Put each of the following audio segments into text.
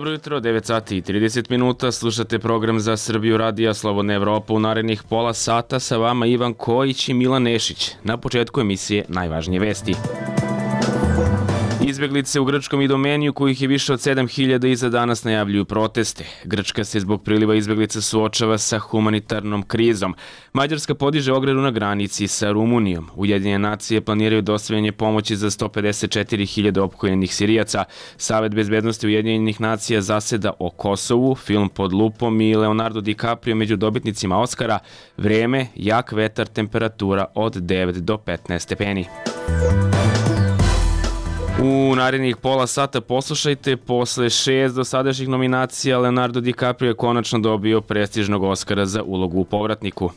Dobro jutro, 9 sati i 30 minuta, slušate program za Srbiju Radija Slobodna Evropa u narednih pola sata, sa vama Ivan Kojić i Milan Nešić. Na početku emisije najvažnije vesti. Izbeglice u grčkom Idomeniju, kojih je više od 7.000 i za danas najavljuju proteste. Grčka se zbog priliva izbeglica suočava sa humanitarnom krizom. Mađarska podiže ogradu na granici sa Rumunijom. Ujedinjene nacije planiraju dostavljanje pomoći za 154.000 opkoljenih Sirijaca. Savet bezbednosti Ujedinjenih nacija zaseda o Kosovu, film Pod lupom i Leonardo DiCaprio među dobitnicima Oskara. Vreme, jak vetar, temperatura od 9 do 15 stepeni. U narednih pola sata poslušajte, posle 6 dosadašnjih nominacija Leonardo DiCaprio je konačno dobio prestižnog Oskara za ulogu u Povratniku.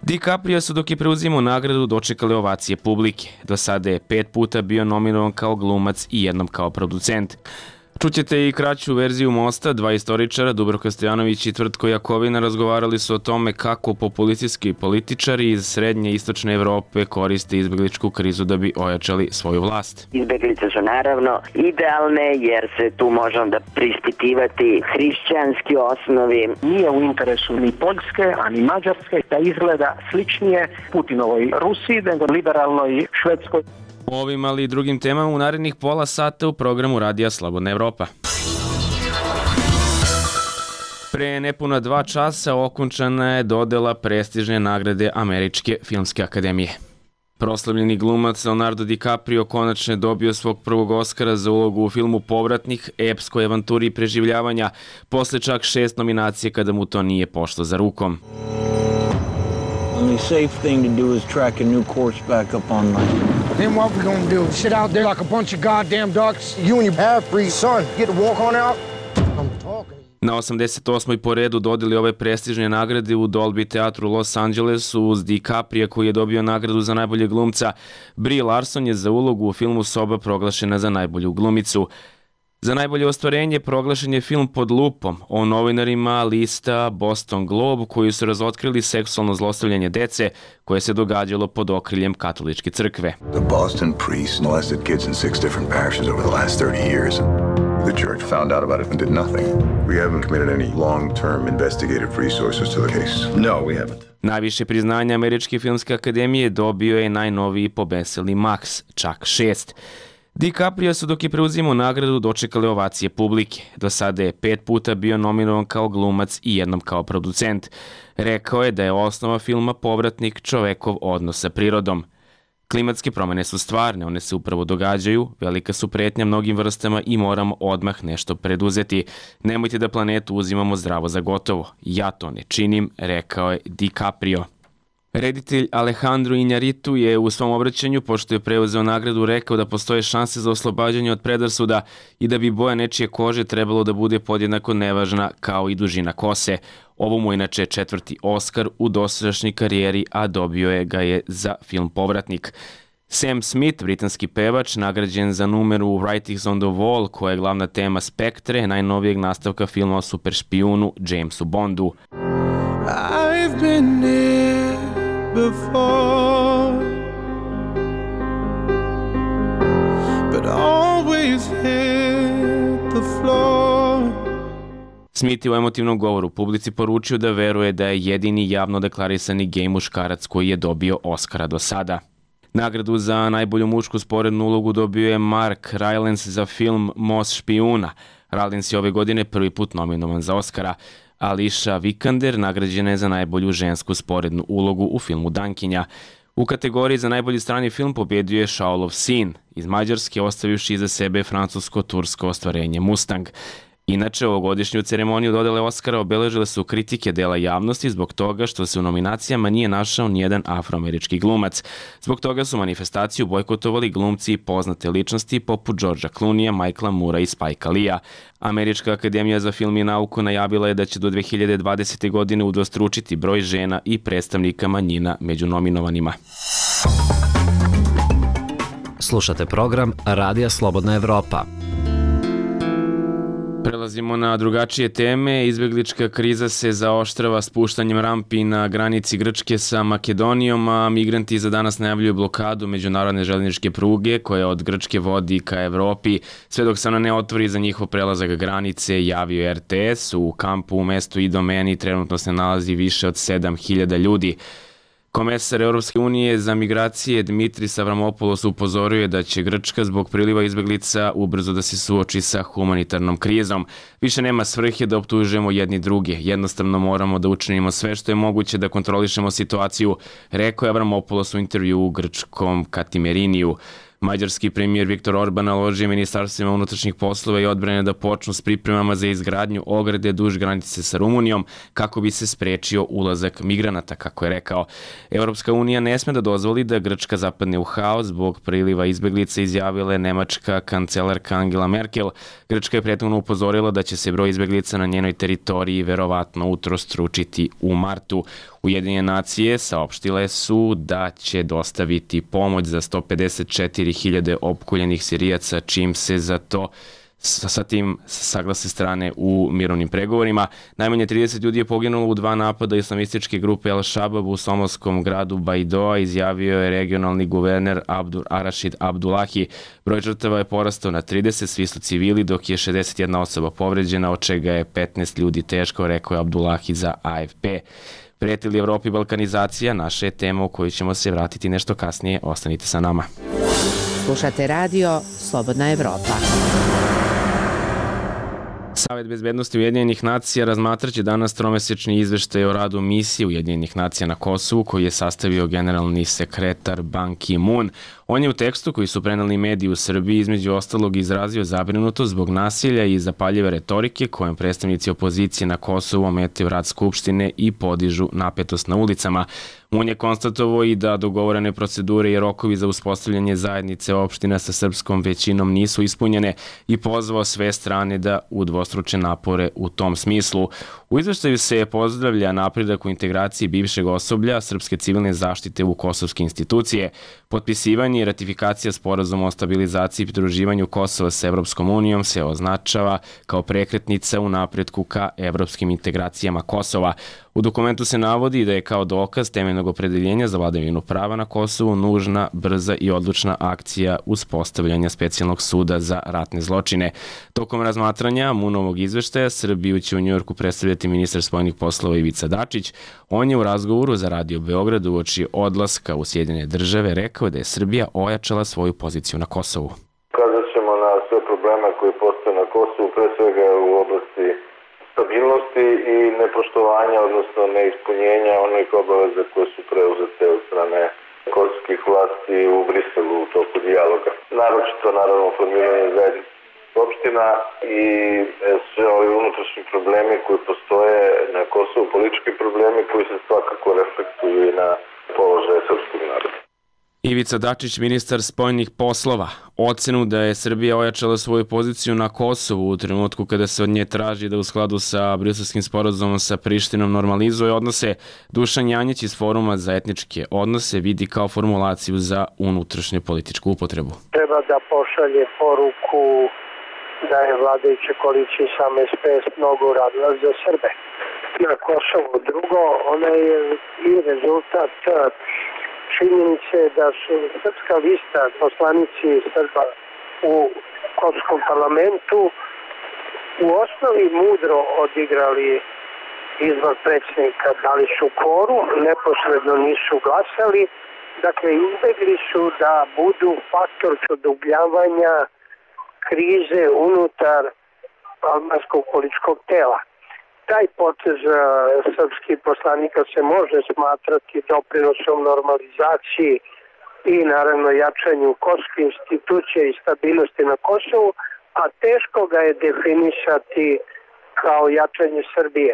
DiCaprio su dok je preuzimao nagradu dočekali ovacije publike. Do sada je 5 puta bio nominovan kao glumac i jednom kao producent. Čućete i kraću verziju Mosta. Dva istoričara, Dubravka Stojanović i Tvrtko Jakovina, razgovarali su o tome kako populistički političari iz srednje i istočne Evrope koriste izbegličku krizu da bi ojačali svoju vlast. Izbeglice su naravno idealne jer se tu može onda prispitivati hrišćanski osnovi. Nije u interesu ni Poljske, a ni Mađarske da izgleda sličnije Putinovoj Rusiji nego liberalnoj Švedskoj. Ovim, ali i drugim temama u narednih pola sata u programu Radija Slobodna Evropa. Pre nepuna 2 časa okončana je dodela prestižne nagrade Američke filmske akademije. Proslavljeni glumac Leonardo DiCaprio konačno je dobio svog prvog Oskara za ulogu u filmu Povratnik, epskoj avanturi preživljavanja, posle čak 6 nominacije kada mu to nije pošlo za rukom. Only safe thing to do is track a new course back up online. Then what we gonna do? Sit out there like a bunch of goddamn ducks? You and your half-breed son get to walk on out? I'm talking. Na 88. po redu dodeli ove prestižne nagrade u Dolby teatru u Los Angelesu uz DiCaprio koji je dobio nagradu za najboljeg glumca. Brie Larson je za ulogu u filmu Soba proglašena za najbolju glumicu. Za najbolje ostvarenje proglašen je film Pod lupom o novinarima lista Boston Globe koji su razotkrili seksualno zlostavljanje dece koje se događalo pod okriljem katoličke crkve. The Boston priests molested kids in 6 different parishes over the last 30 years. The church found out about it and did nothing. We haven't committed any long-term investigative resources to the case. No, we haven't. Najviše priznanja Američke filmske akademije dobio je najnoviji pobeseli Max, čak 6. DiCaprio su dok je preuzimao nagradu dočekali ovacije publike. Do sada je 5 puta bio nominovan kao glumac i jednom kao producent. Rekao je da je osnova filma Povratnik čovekov odnos sa prirodom. Klimatske promene su stvarne, one se upravo događaju, velika su pretnja mnogim vrstama i moramo odmah nešto preduzeti. Nemojte da planetu uzimamo zdravo za gotovo. Ja to ne činim, rekao je DiCaprio. Reditelj Alejandro Iñárritu je u svom obraćanju, pošto je preuzeo nagradu, rekao da postoje šanse za oslobađanje od predrasuda i da bi boja nečije kože trebalo da bude podjednako nevažna kao i dužina kose. Ovo mu inače 4. Oskar u dosadašnjoj karijeri, a dobio ga je za film Povratnik. Sam Smith, britanski pevač, nagrađen za numeru Writings on the Wall, koja je glavna tema Spektre, najnovijeg nastavka filma o super špijunu Jamesu Bondu. I've been there before, but always hit the floor. Smith je u emotivnom govoru publici poručio da veruje da je jedini javno deklarisani gej muškarac koji je dobio Oskara do sada. Nagradu za najbolju mušku sporednu ulogu dobio je Mark Rylance za film Most špijuna. Rylance je ove godine prvi put nominovan za Oskara. Alicia Vikander nagrađena je za najbolju žensku sporednu ulogu u filmu Dankinja. U kategoriji za najbolji strani film pobedio je Shaolov sin iz Mađarske, ostavivši iza sebe francusko-tursko ostvarenje Mustang. Inače, ovogodišnju ceremoniju dodele Oskara obeležile su kritike dela javnosti zbog toga što se u nominacijama nije našao nijedan afroamerički glumac. Zbog toga su manifestaciju bojkotovali glumci i poznate ličnosti poput Georgea Clooneyja, Michaela Moora i Spikea Leea. Američka akademija za film i nauku najavila je da će do 2020. godine udvostručiti broj žena i predstavnika manjina među nominovanima. Slušate program Radija Slobodna Evropa. Prelazimo na drugačije teme. Izbeglička kriza se zaoštrava spuštanjem rampi na granici Grčke sa Makedonijom, a migranti za danas najavljuju blokadu međunarodne željezničke pruge koja od Grčke vodi ka Evropi. Sve dok se ona ne otvori za njihov prelazak granice, javio RTS. U kampu u mestu Idomeni trenutno se nalazi više od 7.000 ljudi. Komesar Europske unije za migracije Dimitris Avramopoulos upozorio je da će Grčka zbog priliva izbeglica ubrzo da se suoči sa humanitarnom krizom. Više nema svrhe da optužujemo jedni druge. Jednostavno moramo da učinimo sve što je moguće da kontrolišemo situaciju, rekao je Avramopoulos u intervju u grčkom Katimeriniju. Mađarski premijer Viktor Orban naložio ministarstvima unutrašnjih poslova i odbrane da počnu s pripremama za izgradnju ograde duž granice sa Rumunijom kako bi se sprečio ulazak migranata, kako je rekao. Europska unija ne sme da dozvoli da Grčka zapadne u haos zbog priliva izbeglica, izjavila je nemačka kancelarka Angela Merkel. Grčka je prethodno upozorila da će se broj izbeglica na njenoj teritoriji verovatno utrostručiti u martu. Ujedinjene nacije saopštile su da će dostaviti pomoć za 154.000 opkoljenih Sirijaca, čim se za to sa tim saglase strane u mirovnim pregovorima. Najmanje 30 ljudi je poginulo u 2 napada islamističke grupe Al-Shabab u somalskom gradu Baidoa, izjavio je regionalni guverner Arašid Abdullahi. Broj žrtava je porastao na 30, svi su civili, dok je 61 osoba povređena, od čega je 15 ljudi teško, rekao je Abdullahi za AFP. Prijeti li Evropi balkanizacija? Naša je tema u kojoj ćemo se vratiti nešto kasnije. Ostanite sa nama. Slušate radio Slobodna Evropa. Savet bezbednosti Ujedinjenih nacija razmatraće danas tromesečni izveštaj o radu misije Ujedinjenih nacija na Kosovu koji je sastavio generalni sekretar Ban Ki-moon. On je u tekstu koji su preneli mediji u Srbiji između ostalog izrazio zabrinutost zbog nasilja i zapaljive retorike kojom predstavnici opozicije na Kosovu ometaju rad Skupštine i podižu napetost na ulicama. On je konstatovao i da dogovorene procedure i rokovi za uspostavljanje zajednice opština sa srpskom većinom nisu ispunjene i pozvao sve strane da udvostruče napore u tom smislu. U izveštaju se pozdravlja napredak u integraciji bivšeg osoblja srpske civilne zaštite u kosovske institucije. Potpisivanje i ratifikacija sporazuma o stabilizaciji i pridruživanju Kosova sa Evropskom unijom se označava kao prekretnica u napretku ka evropskim integracijama Kosova. U dokumentu se navodi da je kao dokaz temeljnog opredeljenja za vladavinu prava na Kosovu nužna, brza i odlučna akcija uspostavljanja specijalnog suda za ratne zločine. Tokom razmatranja Moonovog izveštaja Srbiju će u Njujorku predstavljati ministar spoljnih poslova Ivica Dačić. On je u razgovoru za Radio Beograd uoči odlaska u Sjedinjene države rekao da je Srbija ojačala svoju poziciju na Kosovu. Ukazat ćemo na sve probleme koji postoje na Kosovu, pre svega u oblasti stabilnosti i nepoštovanja, odnosno neispunjenja onih obaveza koje su preuzete od strane kosovskih vlasti u Briselu u toku dijaloga. Naročito, naravno, formiranje zajednice opština i sve ovi unutrašnji problemi koji postoje na Kosovu, politički problemi koji se svakako reflektuju i na položaj srpskog naroda. Ivica Dačić, ministar spoljnih poslova, ocenu da je Srbija ojačala svoju poziciju na Kosovu u trenutku kada se od nje traži da u skladu sa briselskim sporazumom sa Prištinom normalizuje odnose, Dušan Janjić iz Foruma za etničke odnose vidi kao formulaciju za unutrašnju političku upotrebu. Treba da pošalje poruku da je vladajuća koalicija sam SPS mnogo uradila za Srbe na Kosovu. Drugo, ona je i rezultat činjenice da su srpska lista poslanici Srba u kosovskom parlamentu u osnovi mudro odigrali izbor predsjednika, dali su kvorum, neposredno nisu glasali, dakle izbegli su da budu faktor produbljavanja krize unutar albanskog političkog tela. Taj potez srpskih poslanika se može smatrati doprinosom normalizaciji i naravno jačanju kosovskih institucija i stabilnosti na Kosovu, a teško ga je definisati kao jačanje Srbije.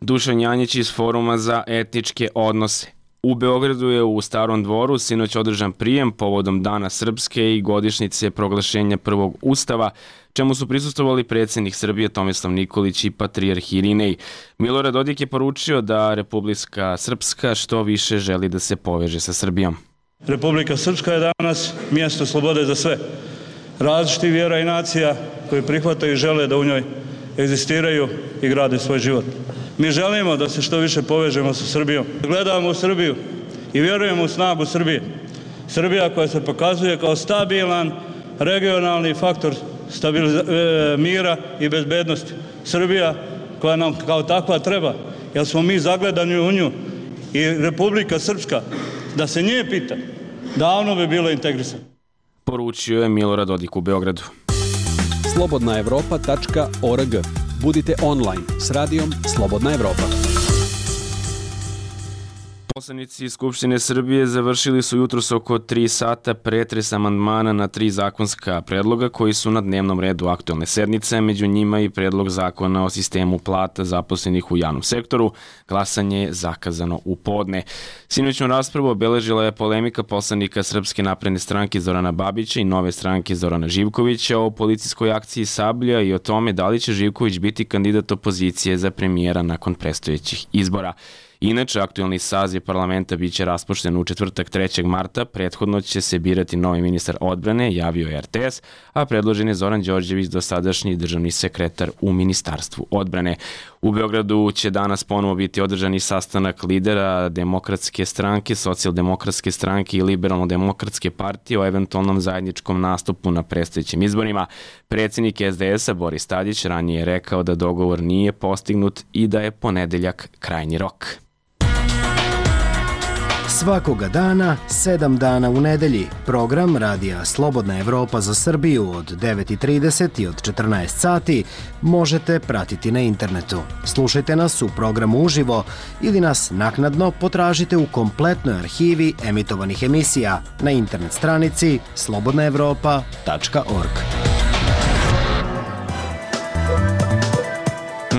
Dušan Janjić iz Foruma za etničke odnose. U Beogradu je u Starom dvoru sinoć održan prijem povodom Dana Srpske i godišnjice proglašenja prvog ustava, čemu su prisustvovali predsjednik Srbije Tomislav Nikolić i patrijarh Irinej. Milorad Dodik je poručio da Republika Srpska što više želi da se poveže sa Srbijom. Republika Srpska je danas mjesto slobode za sve. Različitih vjera i nacija koji prihvataju i žele da u njoj egzistiraju i grade svoj život. Mi želimo da se što više povežemo sa Srbijom. Gledamo u Srbiju i vjerujemo u snagu Srbije. Srbija koja se pokazuje kao stabilan regionalni faktor mira i bezbednosti. Srbija koja nam kao takva treba, jer smo mi zagledani u nju. I Republika Srpska, da se nje pita, davno bi bilo integrisano. Poručio je Milorad Dodik u Beogradu. slobodnaevropa.org. Budite online s radijom Slobodna Evropa. Poslanici Skupštine Srbije završili su jutros oko 3 sata pretres amandmana na 3 zakonska predloga koji su na dnevnom redu aktuelne sednice, među njima i predlog zakona o sistemu plata zaposlenih u javnom sektoru. Glasanje je zakazano u podne. Sinoćnu raspravu obeležila je polemika poslanika Srpske napredne stranke Zorana Babića i Nove stranke Zorana Živkovića o policijskoj akciji Sablja i o tome da li će Živković biti kandidat opozicije za premijera nakon predstojećih izbora. Inače, aktuelni saziv parlamenta biće raspušten u četvrtak 3. marta, prethodno će se birati novi ministar odbrane, javio je RTS, a predložen je Zoran Đorđević, dosadašnji državni sekretar u Ministarstvu odbrane. U Beogradu će danas ponovo biti održani sastanak lidera Demokratske stranke, Socijaldemokratske stranke i Liberalno-demokratske partije o eventualnom zajedničkom nastupu na predstojećim izborima. Predsjednik SDS-a Boris Tadić ranije je rekao da dogovor nije postignut i da je ponedeljak krajnji rok. Svakoga dana, 7 dana u nedelji, program radija Slobodna Evropa za Srbiju od 9:30 i od 14 sati možete pratiti na internetu. Slušajte nas u programu uživo ili nas naknadno potražite u kompletnoj arhivi emitovanih emisija na internet stranici slobodnaevropa.org.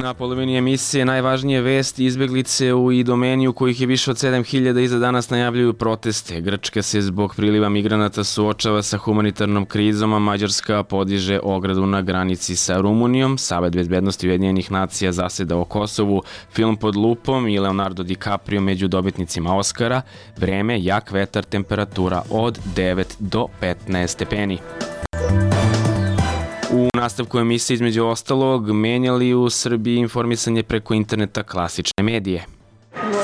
Na polovini emisije najvažnije vesti: izbeglice u Idomeniju kojih je više od 7.000 i za danas najavljuju proteste. Grčka se zbog priliva migranata suočava sa humanitarnom krizom, a Mađarska podiže ogradu na granici sa Rumunijom. Savet bezbednosti Ujedinjenih nacija zaseda o Kosovu, film Pod lupom i Leonardo DiCaprio među dobitnicima Oscara. Vreme, jak vetar, temperatura od 9 do 15 stepeni. U nastavku emisije između ostalog menjali u Srbiji informisanje preko interneta klasične medije.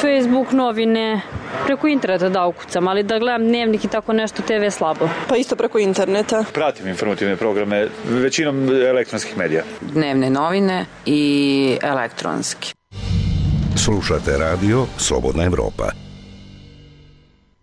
Facebook, novine, preko interneta da ukucam, ali da gledam dnevnik i tako nešto, TV slabo. Pa isto preko interneta. Pratim informativne programe, većinom elektronskih medija. Dnevne novine i elektronski. Slušate radio Slobodna Evropa.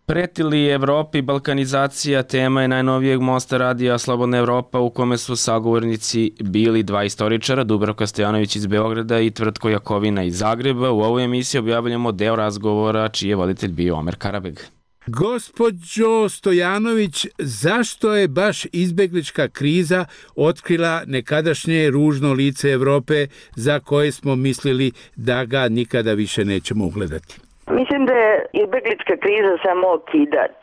Preti li Evropi balkanizacija, tema je najnovijeg mosta radija Slobodna Evropa, u kome su sagovornici bili 2 istoričara, Dubravka Stojanović iz Beograda i Tvrtko Jakovina iz Zagreba. U ovoj emisiji objavljamo deo razgovora čiji je voditelj bio Omer Karabeg. Gospođo Stojanović, zašto je baš izbeglička kriza otkrila nekadašnje ružno lice Evrope za koje smo mislili da ga nikada više nećemo ugledati? Mislim da je izbeglička kriza samo okidač,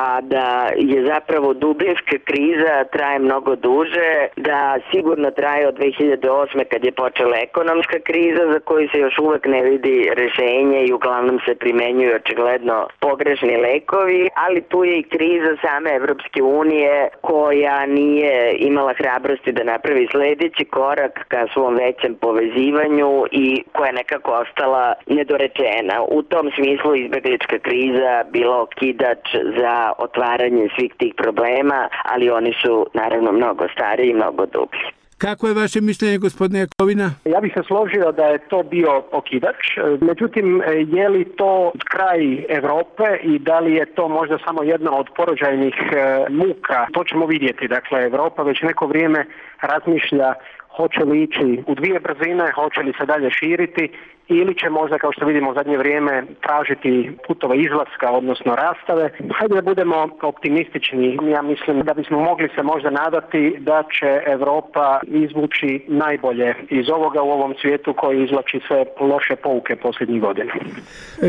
a da je zapravo dubinska kriza traje mnogo duže, da sigurno traje od 2008. kad je počela ekonomska kriza za koju se još uvek ne vidi rešenje i uglavnom se primenjuju očigledno pogrešni lekovi, ali tu je i kriza same Evropske unije koja nije imala hrabrosti da napravi sledeći korak ka svom većem povezivanju i koja je nekako ostala nedorečena. U tom smislu izbeglička kriza bila okidač za otvaranje svih tih problema, ali oni su naravno mnogo stariji i mnogo dublji. Kako je vaše mišljenje, gospodine Jakovina? Ja bih se složio da je to bio okidač, međutim, je li to kraj Evrope i da li je to možda samo jedna od porođajnih muka? To ćemo vidjeti. Dakle, Evropa već neko vrijeme razmišlja hoće li ići u 2 brzine, hoće li se dalje širiti ili će možda, kao što vidimo u zadnje vrijeme, tražiti putove izlaska, odnosno rastave. Hajde da budemo optimistični. Ja mislim da bismo mogli se možda nadati da će Evropa izvući najbolje iz ovoga u ovom svijetu koji izvlači sve loše pouke posljednjih godina.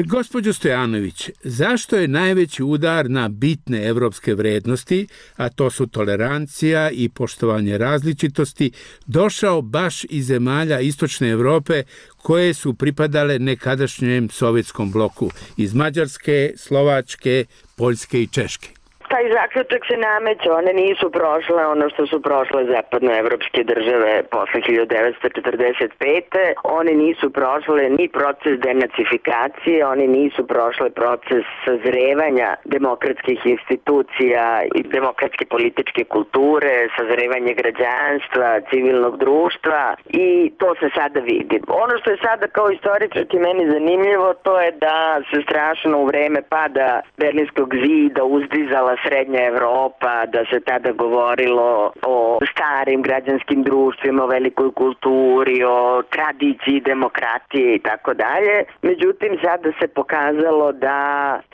Gospođo Stojanović, zašto je najveći udar na bitne evropske vrednosti, a to su tolerancija i poštovanje različitosti, došao baš iz zemalja Istočne Evrope koje su pripadale nekadašnjem sovjetskom bloku, iz Mađarske, Slovačke, Poljske i Češke? Taj zaključak se nameće, one nisu prošle ono što su prošle zapadnoevropske države posle 1945. One nisu prošle ni proces denacifikacije, oni nisu prošle proces sazrevanja demokratskih institucija i demokratske političke kulture, sazrevanje građanstva, civilnog društva i to se sada vidi. Ono što je sada kao istoričarki meni zanimljivo, to je da se strašno u vreme pada Berlinskog zida uzdizala srednja Evropa, da se tada govorilo o starim građanskim društvima, o velikoj kulturi, o tradiciji demokratije i tako dalje. Međutim, sada se pokazalo da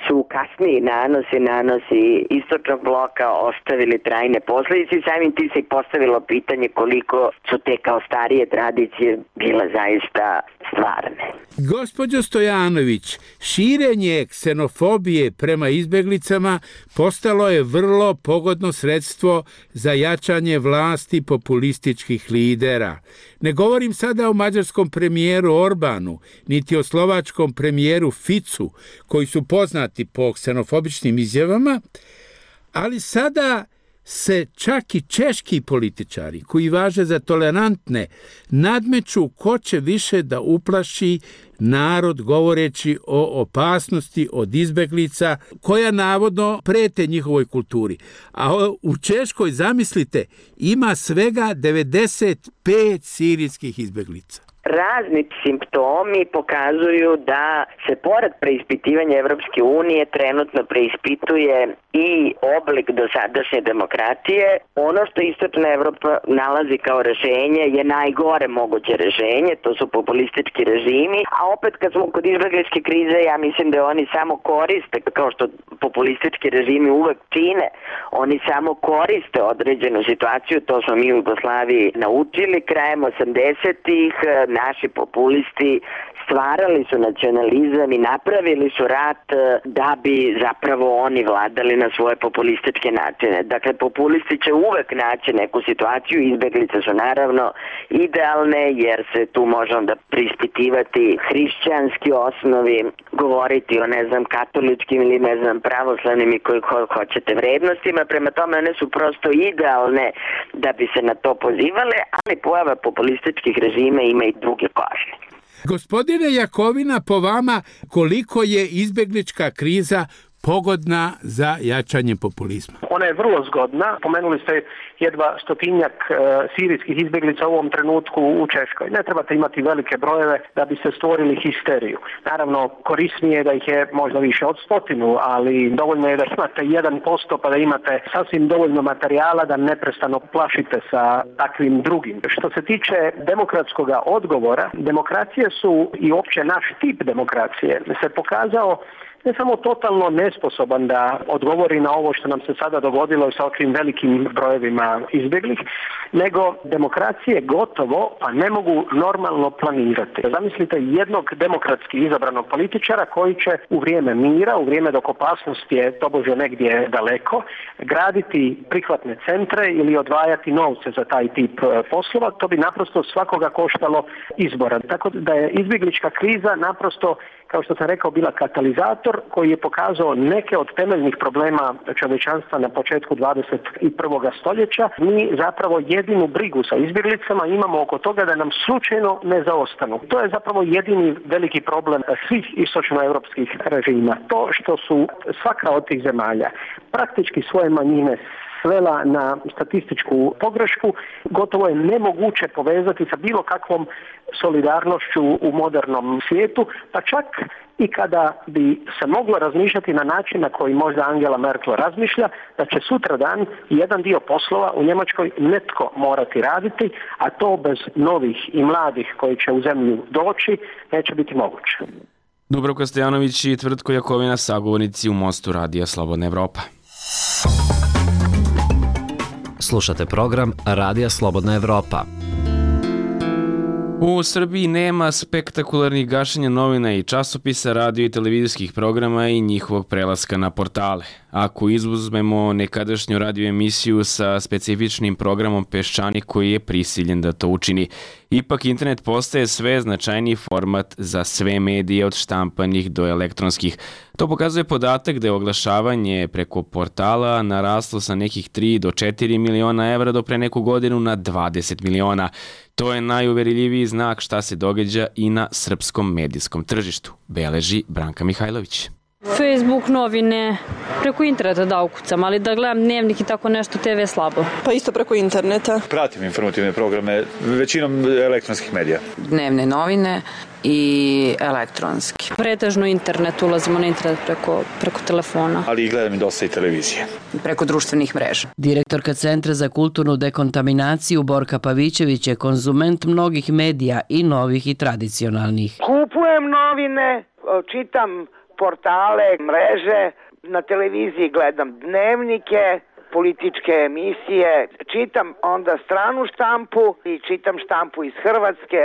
su kasniji nanosi istočnog bloka ostavili trajne posledice i samim tim se i postavilo pitanje koliko su te kao starije tradicije bile zaista stvarne. Gospođo Stojanović, širenje ksenofobije prema izbeglicama postalo je vrlo pogodno sredstvo za jačanje vlasti populističkih lidera. Ne govorim sada o mađarskom premijeru Orbanu, niti o slovačkom premijeru Ficu, koji su poznati po ksenofobičnim izjavama, ali sada se čak i češki političari, koji važe za tolerantne, nadmeću ko će više da uplaši narod govoreći o opasnosti od izbeglica koja navodno prete njihovoj kulturi. A u Češkoj, zamislite, ima svega 95 sirijskih izbeglica. Razni simptomi pokazuju da se pored preispitivanja Evropske unije trenutno preispituje i oblik dosadašnje demokratije. Ono što istočna Evropa nalazi kao rešenje je najgore moguće rešenje, to su populistički režimi, a opet kad smo kod izbegličke krize, ja mislim da oni samo koriste, kao što populistički režimi uvek čine, oni samo koriste određenu situaciju, to smo mi u Jugoslaviji naučili krajem 80-ih, naši populisti stvarali su nacionalizam i napravili su rat da bi zapravo oni vladali na svoje populističke načine. Dakle, populisti će uvek naći neku situaciju, izbeglice su naravno idealne jer se tu može onda preispitivati hrišćanski osnovi, govoriti o katoličkim ili pravoslavnim i koji hoćete vrednostima, prema tome one su prosto idealne da bi se na to pozivale, ali pojava populističkih režima ima i druge košne. Gospodine Jakovina, po vama, koliko je izbeglička kriza pogodna za jačanje populizma? Ona je vrlo zgodna. Pomenuli ste jedva 100-tinjak sirijskih izbjeglica u ovom trenutku u Češkoj. Ne trebate imati velike brojeve da bi se stvorili histeriju. Naravno, korisnije je da ih je možda više od 100, ali dovoljno je da imate 1% pa da imate sasvim dovoljno materijala da neprestano plašite sa takvim drugim. Što se tiče demokratskog odgovora, demokracije su i uopće naš tip demokracije se pokazao ne samo totalno nesposoban da odgovori na ovo što nam se sada dogodilo sa ovim velikim brojevima izbjeglih, nego demokracije gotovo pa ne mogu normalno planirati. Zamislite jednog demokratski izabranog političara koji će u vrijeme mira, u vrijeme dok opasnost je tobože negdje daleko, graditi prihvatne centre ili odvajati novce za taj tip poslova, to bi naprosto svakoga koštalo izbora. Tako da je izbjeglička kriza naprosto, kao što sam rekao, bila katalizator koji je pokazao neke od temeljnih problema čovječanstva na početku 21. stoljeća. Mi zapravo jedinu brigu sa izbjeglicama imamo oko toga da nam slučajno ne zaostanu. To je zapravo jedini veliki problem svih istočnoevropskih režima. To što su svaka od tih zemalja praktički svoje manjine svela na statističku pogrešku, gotovo je nemoguće povezati sa bilo kakvom solidarnošću u modernom svijetu, pa čak i kada bi se moglo razmišljati na način na koji možda Angela Merkel razmišlja, da će sutradan jedan dio poslova u Njemačkoj netko morati raditi, a to bez novih i mladih koji će u zemlju doći neće biti moguće. Dubravka Stojanović i Tvrtko Jakovina, sagovornici u Mostu Radija Slobodna Evropa. Slušate program Radija Slobodna Evropa. U Srbiji nema spektakularnih gašenja novina i časopisa, radio i televizijskih programa i njihovog prelaska na portale. ako izuzmemo nekadašnju radio emisiju sa specifičnim programom Peščanik koji je prisiljen da to učini. Ipak internet postaje sve značajniji format za sve medije od štampanih do elektronskih. To pokazuje podatak da je oglašavanje preko portala naraslo sa nekih 3 do 4 miliona evra do pre neku godinu na 20 miliona. To je najuverljiviji znak šta se događa i na srpskom medijskom tržištu, beleži Branka Mihajlović. Facebook, novine, preko interneta da ukucam, ali da gledam dnevnik i tako nešto, TV slabo. Pa isto preko interneta. Pratim informativne programe, većinom elektronskih medija. Dnevne novine i elektronski. Pretežno internet, ulazimo na internet preko telefona. Ali gledam i dosta i televizije. Preko društvenih mreža. Direktorka Centra za kulturnu dekontaminaciju Borka Pavićević je konzument mnogih medija i novih i tradicionalnih. Kupujem novine, čitam portale, mreže, na televiziji gledam dnevnike, političke emisije, čitam onda stranu štampu i čitam štampu iz Hrvatske,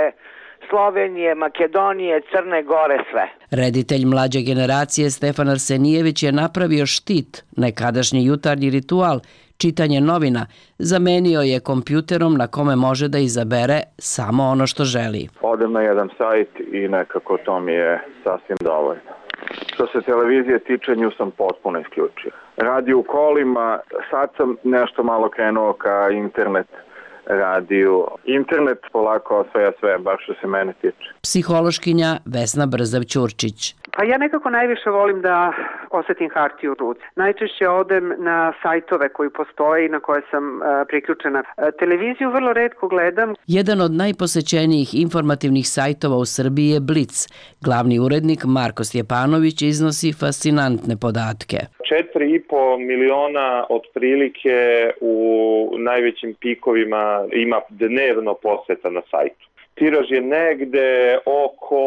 Slovenije, Makedonije, Crne Gore, sve. Reditelj mlađe generacije Stefan Arsenijević je napravio štit, nekadašnji jutarnji ritual, čitanje novina, zamenio je kompjuterom na kome može da izabere samo ono što želi. Odem na jedan sajt i nekako to mi je sasvim dovoljno. Što se televizije tiče, nju sam potpuno isključio. Radio u kolima, sad sam nešto malo krenuo ka internet radiju. Internet polako osvaja sve, bar što se mene tiče. Psihološkinja Vesna Brzav-Ćurčić. Pa ja nekako najviše volim da osetim hartiju u ruci. Najčešće odem na sajtove koji postoje i na koje sam priključena. Televiziju vrlo retko gledam. Jedan od najposećenijih informativnih sajtova u Srbiji je Blic. Glavni urednik Marko Stjepanović iznosi fascinantne podatke. 4,5 miliona otprilike u najvećim pikovima ima dnevno poseta na sajtu. Tiraž je negde oko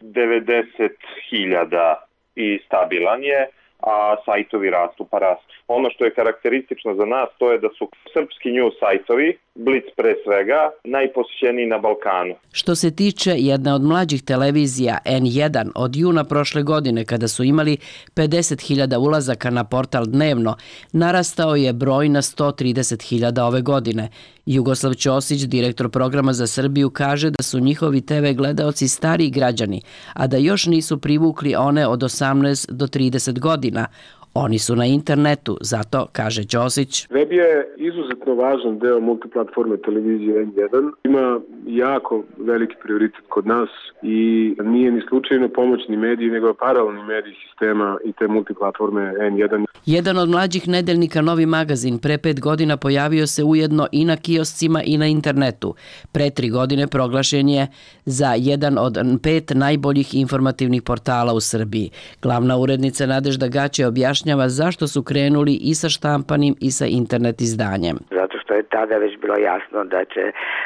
90.000 i stabilan je, a sajtovi rastu pa rastu. Ono što je karakteristično za nas to je da su srpski news sajtovi, Blic pre svega, najposjećeniji na Balkanu. Što se tiče jedne od mlađih televizija N1 od juna prošle godine kada su imali 50.000 ulazaka na portal dnevno, narastao je broj na 130.000 ove godine. Jugoslav Ćosić, direktor programa za Srbiju, kaže da su njihovi TV gledaoci stariji građani, a da još nisu privukli one od 18 do 30 godina. Oni su na internetu, zato, kaže Ćosić. Web je izuzetno važan deo multiplatforme televizije N1. Ima jako veliki prioritet kod nas i nije ni slučajno pomoćni medij, nego paralelni medij sistema i te multiplatforme N1. Jedan od mlađih nedeljnika Novi magazin pre 5 godina pojavio se ujedno i na kioscima i na internetu. Pre 3 godine proglašen je za jedan od 5 najboljih informativnih portala u Srbiji. Glavna urednica Nadežda Gaće objašnjava zašto su krenuli i sa štampanim i sa internet izdanjem. Zato što je tada već bilo jasno da će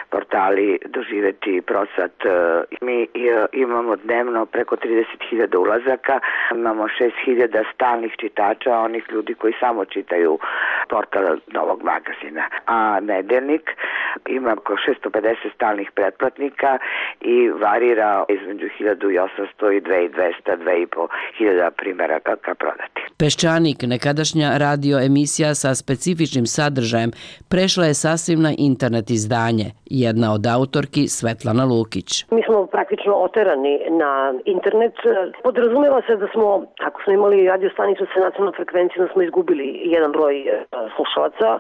portali doživeti prosat. Mi imamo dnevno preko 30.000 ulazaka, imamo 6.000 stalnih čitača, onih ljudi koji samo čitaju portal Novog magazina. A nedeljnik ima oko 650 stalnih pretplatnika i varira između 1.800 i 2.200, 2.500 primeraka prodati. Peščanik, nekadašnja radio emisija sa specifičnim sadržajem, prešla je sasvim na internet izdanje. Jedna od autorki Svetlana Lukić. Mi smo praktično oterani na internet. Podrazumeva se da smo, ako smo imali radio stanicu sa nacionalnom frekvencijom, smo izgubili jedan broj slušalaca.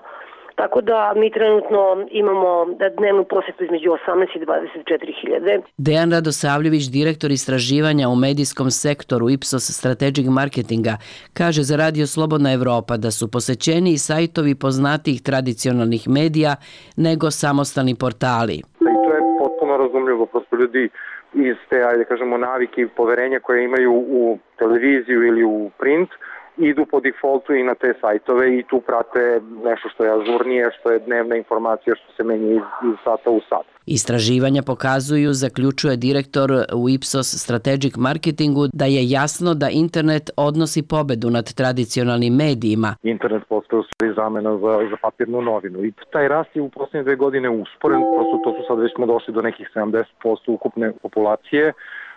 Tako da mi trenutno imamo dnevnu posetu između 18 i 24.000. Dejan Radosavljević, direktor istraživanja u medijskom sektoru Ipsos Strategic Marketinga, kaže za Radio Slobodna Evropa da su posećeniji sajtovi poznatijih tradicionalnih medija nego samostalni portali. I to je potpuno razumljivo, prosto ljudi iz te, ajde kažemo, navike i poverenja koje imaju u televiziju ili u print, idu po defaultu i na te sajtove i tu prate nešto što je ažurnije, što je dnevna informacija, što se menja iz sata u sat. Istraživanja pokazuju, zaključuje direktor u Ipsos Strategic Marketingu, da je jasno da internet odnosi pobedu nad tradicionalnim medijima. Internet postaje u stvari zamena za papirnu novinu i taj rast je u posljednje 2 godine usporen, prosto to su sad već smo došli do nekih 70% ukupne populacije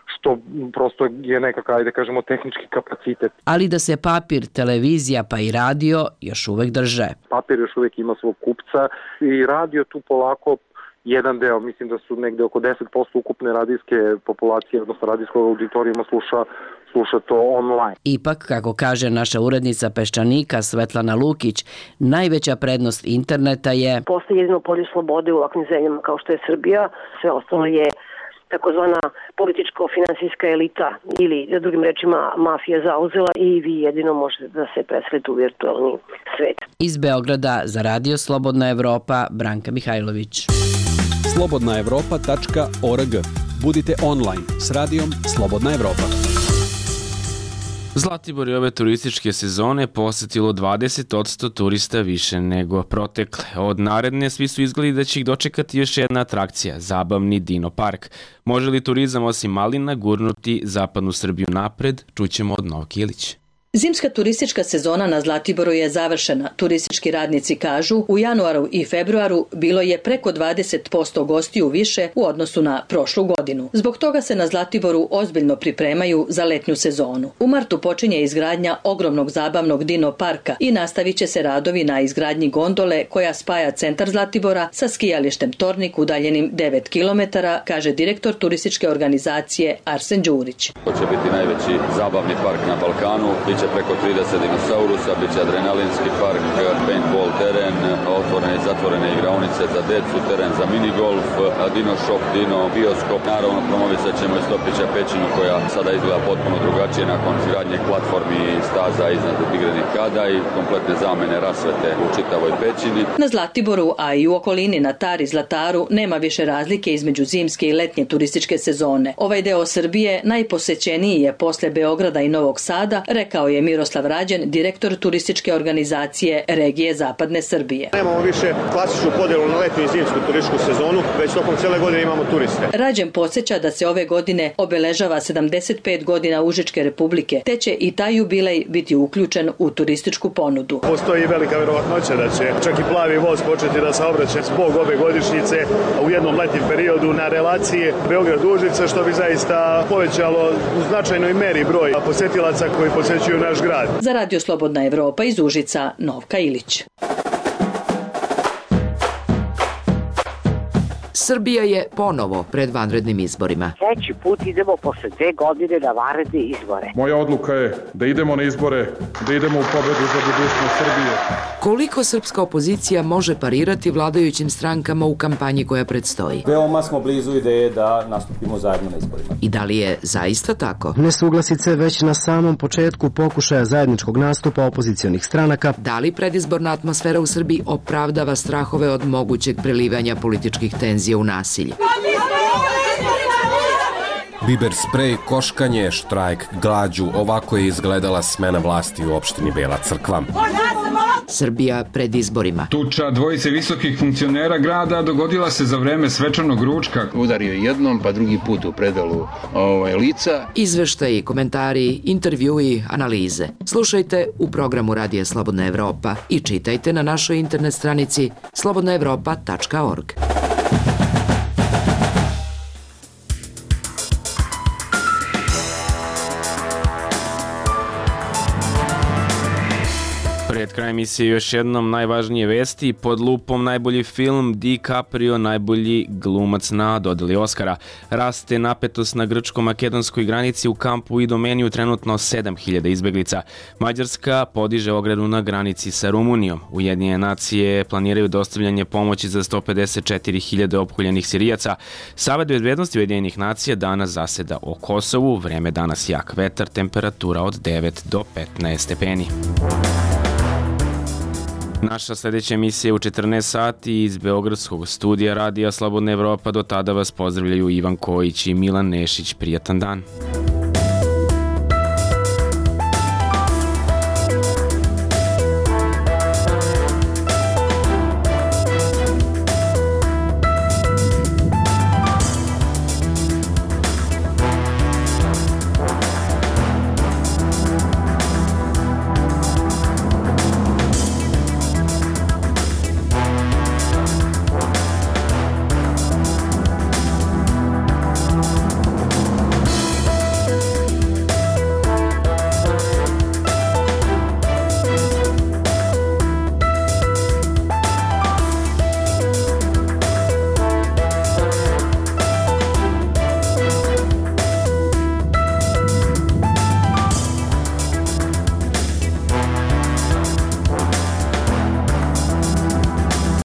što prosto je nekakav, ajde kažemo, tehnički kapacitet. Ali da se papir, televizija pa i radio još uvek drže. Papir još uvek ima svog kupca i radio tu polako jedan deo, mislim da su negde oko 10% ukupne radijske populacije, odnosno radijskog auditorijuma sluša to online. Ipak, kako kaže naša urednica Peščanika Svetlana Lukić, najveća prednost interneta je... Postoji jedino polje slobode u ovakvim zemljama kao što je Srbija, sve ostalo je takozvana političko-finansijska elita ili, drugim rečima, mafija zauzela i vi jedino možete da se preselite u virtualni svet. Iz Beograda za Radio Slobodna Evropa, Branka Mihajlović. slobodnaevropa.org. Budite online s radijom Slobodna Evropa. Zlatibor je ove turističke sezone posetilo 20% turista više nego protekle. Od naredne svi su izgledi da će ih dočekati još jedna atrakcija, zabavni Dino park. Može li turizam osim malina gurnuti zapadnu Srbiju napred? Čućemo od Novke Ilić. Zimska turistička sezona na Zlatiboru je završena. Turistički radnici kažu, u januaru i februaru bilo je preko 20% gostiju više u odnosu na prošlu godinu. Zbog toga se na Zlatiboru ozbiljno pripremaju za letnju sezonu. U martu počinje izgradnja ogromnog zabavnog Dino parka i nastavit će se radovi na izgradnji gondole koja spaja centar Zlatibora sa skijalištem Tornik udaljenim 9 km, kaže direktor turističke organizacije Arsen Đurić. To će biti najveći zabavni park na Balkanu. Preko 30 dinosaurusa, bit će adrenalinski park, paintball teren, otvorene i zatvorene igraonice za decu, teren za minigolf, dino shop, dino bioskop. Naravno, promovisat ćemo i Stopića pećinu koja sada izgleda potpuno drugačije nakon izgradnje platformi i staza iznad igrenih kada i kompletne zamene rasvete u čitavoj pećini. Na Zlatiboru, a i u okolini na Tari Zlataru, nema više razlike između zimske i letnje turističke sezone. Ovaj deo Srbije najposećeniji je posle Beograda i Novog Sada, rekao je Miroslav Rađen, direktor turističke organizacije regije Zapadne Srbije. Nemamo više klasičnu podjelu na letnju i zimsku turističku sezonu, već tokom cijele godine imamo turiste. Rađen podsjeća da se ove godine obeležava 75 godina Užičke republike, te će i taj jubilej biti uključen u turističku ponudu. Postoji velika verovatnoća da će čak i plavi voz početi da saobraća zbog ove godišnjice u jednom letnjem periodu na relaciji Beograd-Užice, što bi zaista povećalo u značajnoj meri broj posetilaca koji posećuju naš grad. Za Radio Slobodna Evropa iz Užica, Novka Ilić. Srbija je ponovo pred vanrednim izborima. Treći put idemo posle 2 godine na vanredne izbore. Moja odluka je da idemo na izbore, da idemo u pobedu za budućnost Srbije. Koliko srpska opozicija može parirati vladajućim strankama u kampanji koja predstoji? Veoma smo blizu ideje da nastupimo zajedno na izborima. I da li je zaista tako? Nesuglasice već na samom početku pokušaja zajedničkog nastupa opozicionih stranaka. Da li predizborna atmosfera u Srbiji opravdava strahove od mogućeg prelivanja političkih tenzija u nasilje? Biber sprej, koškanje, štrajk, glađu, ovako je izgledala smena vlasti u opštini Bela Crkva. Srbija pred izborima. Tuča dvojice visokih funkcionera grada dogodila se za vreme svečanog ručka. Udario jednom, pa drugi put u predalu lica. Izveštaji, komentari, intervjui, analize. Slušajte u programu Radija Slobodna Evropa i čitajte na našoj internet stranici slobodnaevropa.org. Pred kraj emisije još jednom najvažnije vesti. Pod lupom najbolji film, DiCaprio najbolji glumac na dodeli Oscara. Raste napetost na grčko-makedonskoj granici, u kampu i Idomeniju trenutno 7000 izbeglica. Mađarska podiže ogradu na granici sa Rumunijom. Ujedinjene nacije planiraju dostavljanje pomoći za 154.000 opkoljenih Sirijaca. Savet bezbednosti Ujedinjenih nacija danas zaseda o Kosovu. Vreme danas jak vetar, temperatura od 9 do 15 stepeni. Naša sljedeća emisija je u 14 sati iz Beogradskog studija Radija Slobodna Evropa. Do tada vas pozdravljaju Ivan Kojić i Milan Nešić. Prijatan dan.